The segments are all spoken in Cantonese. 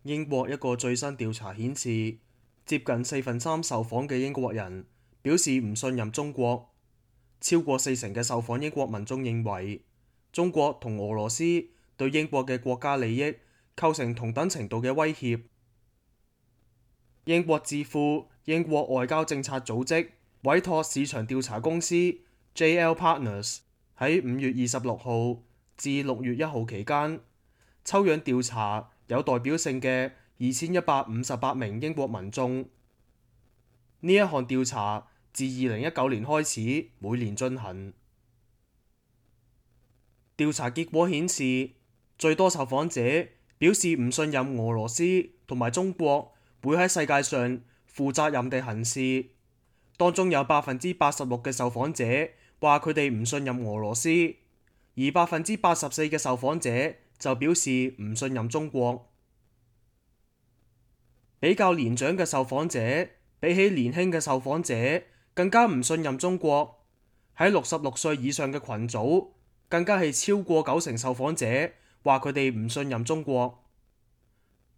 英國一個最新調查顯示，接近4/3受訪嘅英國人表示唔信任中國，超過40%嘅受訪英國民眾認為中國同俄羅斯對英國嘅國家利益構成同等程度嘅威脅。英國智庫英國外交政策組織委託市場調查公司 JL Partners 喺5月26號至6月1號期間抽樣調查有代表性嘅2158名英國民眾。呢一項調查自2019年開始每年進行。調查結果顯示，最多受訪者表示唔信任俄羅斯同埋中國會喺世界上負責任地行事。當中有86%嘅受訪者話佢哋唔信任俄羅斯，而84%嘅受訪者就表示唔信任中國。比較年長嘅受訪者比起年輕嘅受訪者更加唔信任中國。喺66歲以上嘅群組，更加係超過90%受訪者話佢哋唔信任中國。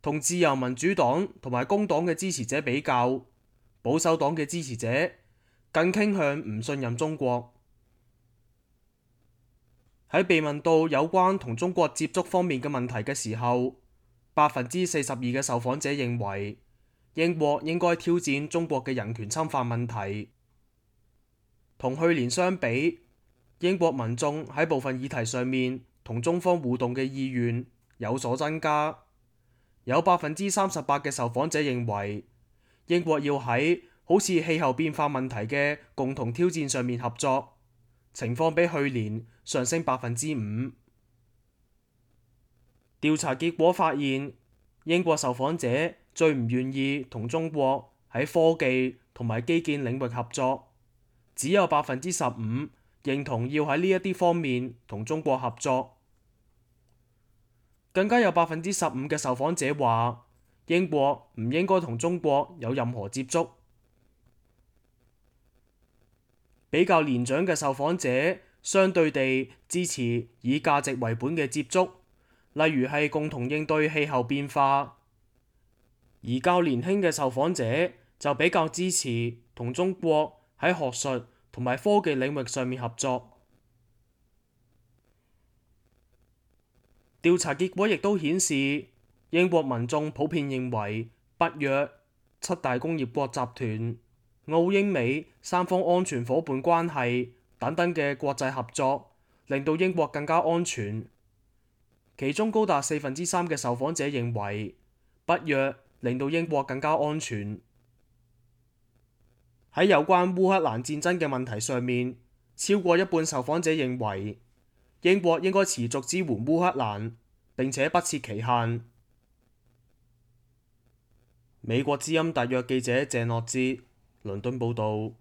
同自由民主黨同埋工黨嘅支持者比較，保守黨嘅支持者更傾向唔信任中國。喺被問到有關同中國接觸方面嘅問題嘅時候，42%嘅受訪者認為英國應該挑戰中國嘅人權侵犯問題。同去年相比，英國民眾喺部分議題上面同中方互動嘅意願有所增加。有38%嘅受訪者認為英國要喺好似氣候變化問題嘅共同挑戰上面合作，情況比去年上升5%。調查結果發現，英國受訪者最唔願意同中國喺科技同埋基建領域合作，只有15%認同要喺呢一啲方面同中國合作。更加有15%嘅受訪者話英國唔應該同中國有任何接觸。比較年長嘅受訪者相對地支持以價值為本嘅接觸，例如係共同應對氣候變化。而較年輕嘅受訪者就比較支持同中國喺學術同埋科技領域上面合作。調查結果亦都顯示，英國民眾普遍認為北約、7大工業國集團、澳英美三方安全夥伴關係等等嘅國際合作，令到英國更加安全。其中高達3/4嘅受訪者認為北約令到英國更加安全。喺有關烏克蘭戰爭嘅問題上面，超過一半受訪者認為英國應該持續支援烏克蘭，並且不設期限。美國之音特約記者鄭樂哲，倫敦報導。